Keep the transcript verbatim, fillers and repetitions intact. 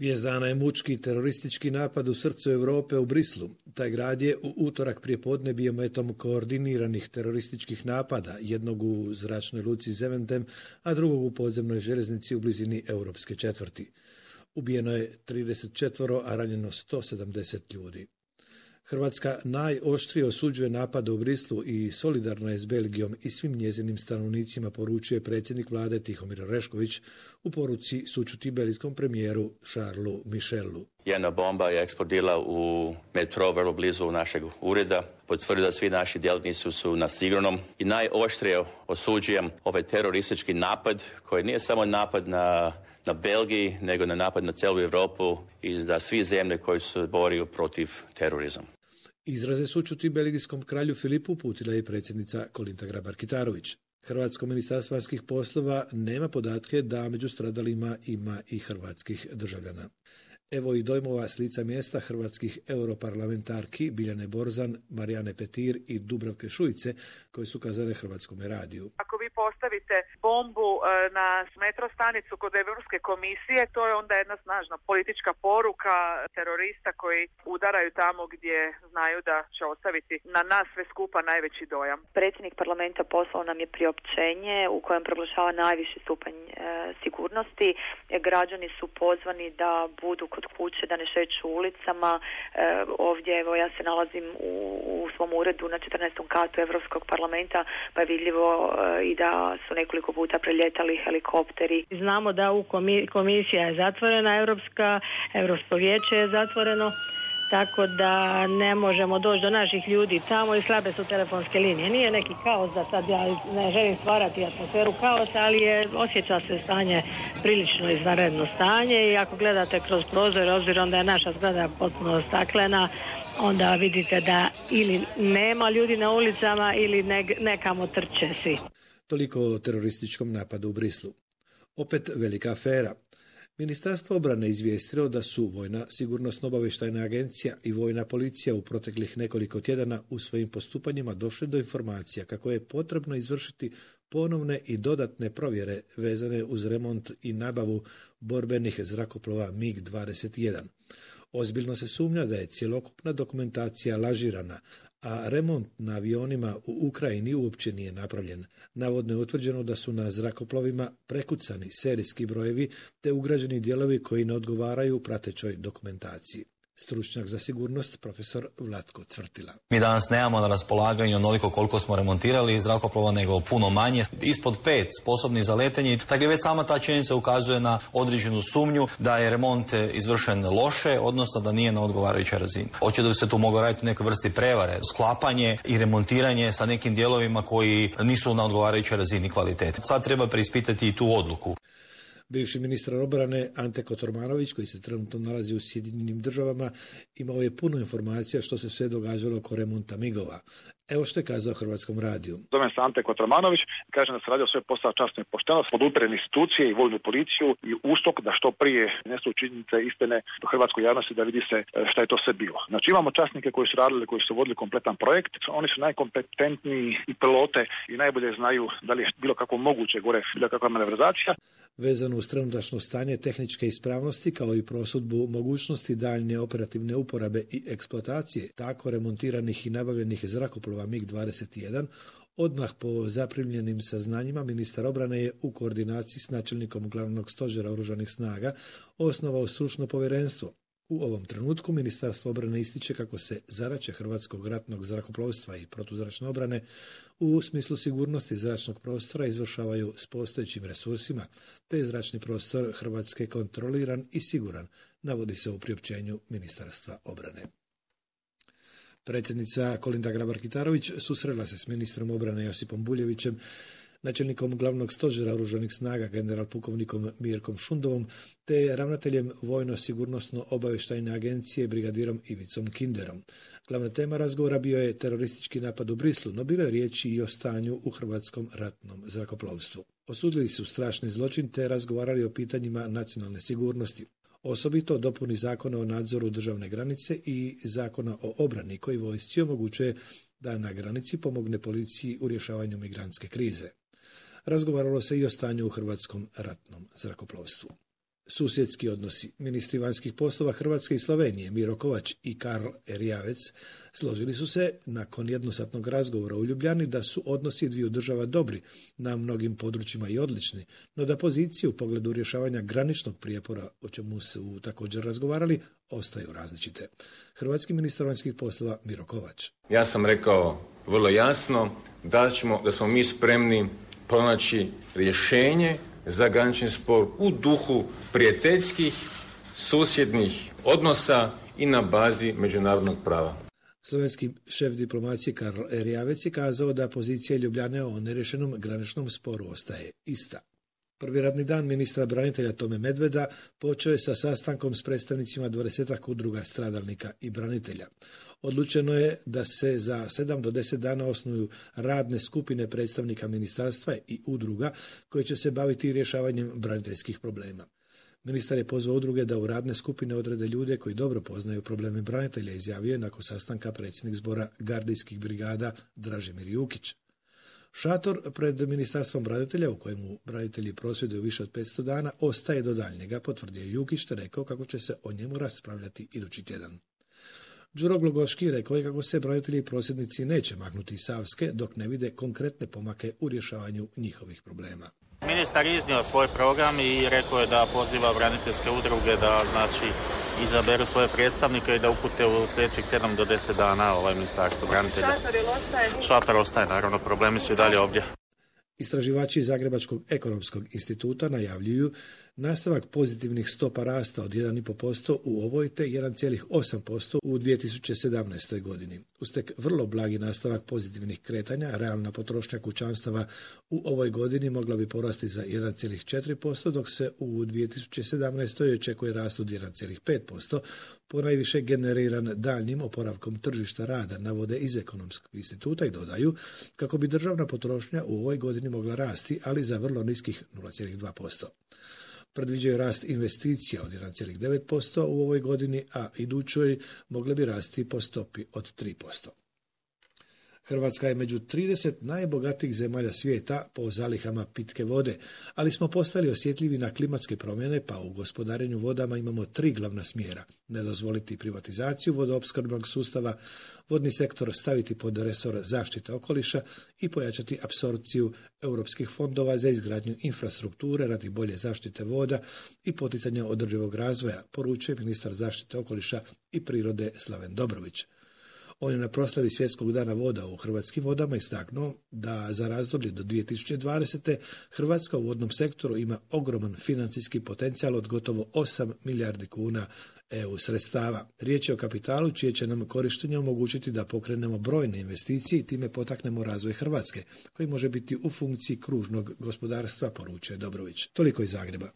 Vijest dana je mučki teroristički napad u srcu Europe u Brislu. Taj grad je u utorak prijepodne bio metom koordiniranih terorističkih napada, jednog u zračnoj luci Zeventem, a drugog u podzemnoj željeznici u blizini europske četvrti. Ubijeno je trideset četiri, a ranjeno sto sedamdeset ljudi. Hrvatska najoštrije osuđuje napade u Brislu i solidarna je s Belgijom i svim njezinim stanovnicima, poručuje predsjednik vlade Tihomir Orešković u poruci sućuti belgijskom premijeru Charlesu Michelu. Jedna bomba je eksplodirala u metro vrlo blizu našeg ureda. Potvrdio da svi naši djelatnici su na sigurnom i najoštrije osuđujem ovaj teroristički napad koji nije samo napad na, na Belgiji, nego na napad na cijelu Europu i za svi zemlje koji se boriju protiv terorizma. Izraze sućuti belgijskom kralju Filipu uputila je predsjednica Kolinda Grabar-Kitarović. Hrvatsko ministarstvo vanjskih poslova nema podatke da među stradalima ima i hrvatskih državljana. Evo i dojmova s lica mjesta hrvatskih europarlamentarki Biljane Borzan, Marijane Petir i Dubravke Šuice, koje su kazale Hrvatskome radiju. Ako vi postavite bombu na metro stanicu kod Europske komisije, to je onda jedna snažna politička poruka terorista koji udaraju tamo gdje znaju da će ostaviti na nas sve skupa najveći dojam. Predsjednik parlamenta poslao nam je priopćenje u kojem proglašava najviši stupanj e, sigurnosti. E, građani su pozvani da budu kod kuće, da ne šeću ulicama. E, ovdje evo ja se nalazim u, u svom uredu na četrnaestom katu Europskog parlamenta, pa je vidljivo e, i da su nekoliko puta preljetali helikopteri. Znamo da u komi- komisija je zatvorena, Europska, Europsko vijeće je zatvoreno, tako da ne možemo doći do naših ljudi tamo i slabe su telefonske linije. Nije neki kaos, da sad ja ne želim stvarati atmosferu kaosa, ali je, osjeća se stanje prilično izvanredno stanje i ako gledate kroz prozor, obzirom da je naša zgrada potpuno staklena, onda vidite da ili nema ljudi na ulicama ili ne, nekamo trče svi. Toliko o terorističkom napadu u Brislu. Opet velika afera. Ministarstvo obrane izvijestilo da su Vojna sigurnosno-obavještajna agencija i Vojna policija u proteklih nekoliko tjedana u svojim postupanjima došli do informacija kako je potrebno izvršiti ponovne i dodatne provjere vezane uz remont i nabavu borbenih zrakoplova mig dvadeset jedan. Ozbiljno se sumnja da je cjelokupna dokumentacija lažirana, a remont na avionima u Ukrajini uopće nije napravljen. Navodno je utvrđeno da su na zrakoplovima prekucani serijski brojevi te ugrađeni dijelovi koji ne odgovaraju pratećoj dokumentaciji. Stručnjak za sigurnost profesor Vlatko Cvrtila. Mi danas nemamo na raspolaganju onoliko koliko smo remontirali zrakoplova, nego puno manje, ispod pet sposobni za letenje. Dakle, već sama ta činjenica ukazuje na određenu sumnju da je remont izvršen loše, odnosno da nije na odgovarajućoj razini. Očito da bi se tu moglo raditi u nekoj vrsti prevare, sklapanje i remontiranje sa nekim dijelovima koji nisu na odgovarajućoj razini kvalitete. Sad treba preispitati i tu odluku. Bivši ministar obrane Ante Kotormanović, koji se trenutno nalazi u Sjedinjenim državama, imao je puno informacija što se sve događalo oko remonta migova. Evo što je kazao Hrvatskom radiju. Zovem se Ante Kotormanović, kažem da se radio sve posao časno i pošteno, podupirem institucije i vojnu policiju i ustok da što prije nesu činjenice istine do hrvatskoj javnosti da vidi se šta je to sve bilo. Znači imamo časnike koji su radili, koji su vodili kompletan projekt, oni su najkompetentniji i pilote i najbolje znaju da li je bilo kako moguće gore, bilo kakva manevrizacija. Vezano uz trenutačno stanje tehničke ispravnosti kao i prosudbu mogućnosti daljnje operativne uporabe i eksploatacije tako remontiranih i nabavljenih zrakoplova mig dvadeset jedan, odmah po zaprimljenim saznanjima ministar obrane je u koordinaciji s načelnikom glavnog stožera oružanih snaga osnovao stručno povjerenstvo. U ovom trenutku Ministarstvo obrane ističe kako se zadaće Hrvatskog ratnog zrakoplovstva i protuzračne obrane u smislu sigurnosti zračnog prostora izvršavaju s postojećim resursima, te je zračni prostor Hrvatske kontroliran i siguran, navodi se u priopćenju Ministarstva obrane. Predsjednica Kolinda Grabar-Kitarović susrela se s ministrom obrane Josipom Buljevićem, načelnikom glavnog stožera oružanih snaga general pukovnikom Mirkom Šundovom te ravnateljem Vojno-sigurnosno-obavještajne agencije brigadirom Ivicom Kinderom. Glavna tema razgovora bio je teroristički napad u Brislu, no bilo je riječi i o stanju u hrvatskom ratnom zrakoplovstvu. Osudili su strašni zločin te razgovarali o pitanjima nacionalne sigurnosti. Osobito dopuni zakona o nadzoru državne granice i zakona o obrani koji vojsci omogućuje da na granici pomogne policiji u rješavanju migrantske krize. Razgovaralo se i o stanju u hrvatskom ratnom zrakoplovstvu. Susjedski odnosi. Ministri vanjskih poslova Hrvatske i Slovenije Miro Kovač i Karl Erjavec složili su se nakon jednosatnog razgovora u Ljubljani da su odnosi dviju država dobri, na mnogim područjima i odlični, no da pozicije u pogledu rješavanja graničnog prijepora, o čemu su također razgovarali, ostaju različite. Hrvatski ministar vanjskih poslova Miro Kovač. Ja sam rekao vrlo jasno da, ćemo, da smo mi spremni pronaći rješenje za granični spor u duhu prijateljskih, susjednih odnosa i na bazi međunarodnog prava. Slovenski šef diplomacije Karl Erjavec je kazao da pozicija Ljubljane o nerješenom graničnom sporu ostaje ista. Prvi radni dan ministra branitelja Tome Medveda počeo je sa sastankom s predstavnicima dvadesetak udruga stradalnika i branitelja. Odlučeno je da se za sedam do deset dana osnuju radne skupine predstavnika ministarstva i udruga koje će se baviti rješavanjem braniteljskih problema. Ministar je pozvao udruge da u radne skupine odrede ljude koji dobro poznaju probleme branitelja, izjavio je nakon sastanka predsjednik zbora gardijskih brigada Dražimir Jukić. Šator pred Ministarstvom branitelja, u kojemu branitelji prosvjeduju više od petsto dana, ostaje do daljnjega, potvrdio Jukić, te rekao kako će se o njemu raspravljati idući tjedan. Đuro Glogoški rekao je kako se branitelji i prosvjednici neće maknuti iz Savske dok ne vide konkretne pomake u rješavanju njihovih problema. Ministar iznio svoj program i rekao je da poziva braniteljske udruge da znači izaberu svoje predstavnike i da upute u sljedećih sedam do deset dana ovaj ministarstvo branitelja. Šator ili ostaje? Šator ostaje, naravno, problemi su i dalje ovdje. Istraživači Zagrebačkog ekonomskog instituta najavljuju nastavak pozitivnih stopa rasta od jedan zarez pet posto u ovoj te jedan zarez osam posto u dvije tisuće sedamnaestoj godini. Uz tek vrlo blagi nastavak pozitivnih kretanja, realna potrošnja kućanstava u ovoj godini mogla bi porasti za jedan zarez četiri posto, dok se u dvije tisuće sedamnaestoj očekuje rast od jedan zarez pet posto, ponajviše generiran daljnjim oporavkom tržišta rada, navode iz ekonomskog instituta i dodaju kako bi državna potrošnja u ovoj godini mogla rasti, ali za vrlo niskih nula zarez dva posto. Predviđaju rast investicija od jedan zarez devet posto u ovoj godini, a idućoj mogle bi rasti po stopi od tri posto. Hrvatska je među trideset najbogatijih zemalja svijeta po zalihama pitke vode, ali smo postali osjetljivi na klimatske promjene, pa u gospodarenju vodama imamo tri glavna smjera. Ne dozvoliti privatizaciju vodoopskrbnog sustava, vodni sektor staviti pod resor zaštite okoliša i pojačati apsorpciju europskih fondova za izgradnju infrastrukture radi bolje zaštite voda i poticanja održivog razvoja, poručuje ministar zaštite okoliša i prirode Slaven Dobrović. On je na proslavi Svjetskog dana voda u hrvatskim vodama istaknuo da za razdoblje do dvije tisuće dvadesete. Hrvatska u vodnom sektoru ima ogroman financijski potencijal od gotovo osam milijardi kuna E U sredstava. Riječ je o kapitalu čije će nam korištenje omogućiti da pokrenemo brojne investicije i time potaknemo razvoj Hrvatske, koji može biti u funkciji kružnog gospodarstva, poručuje Dobrović. Toliko iz Zagreba.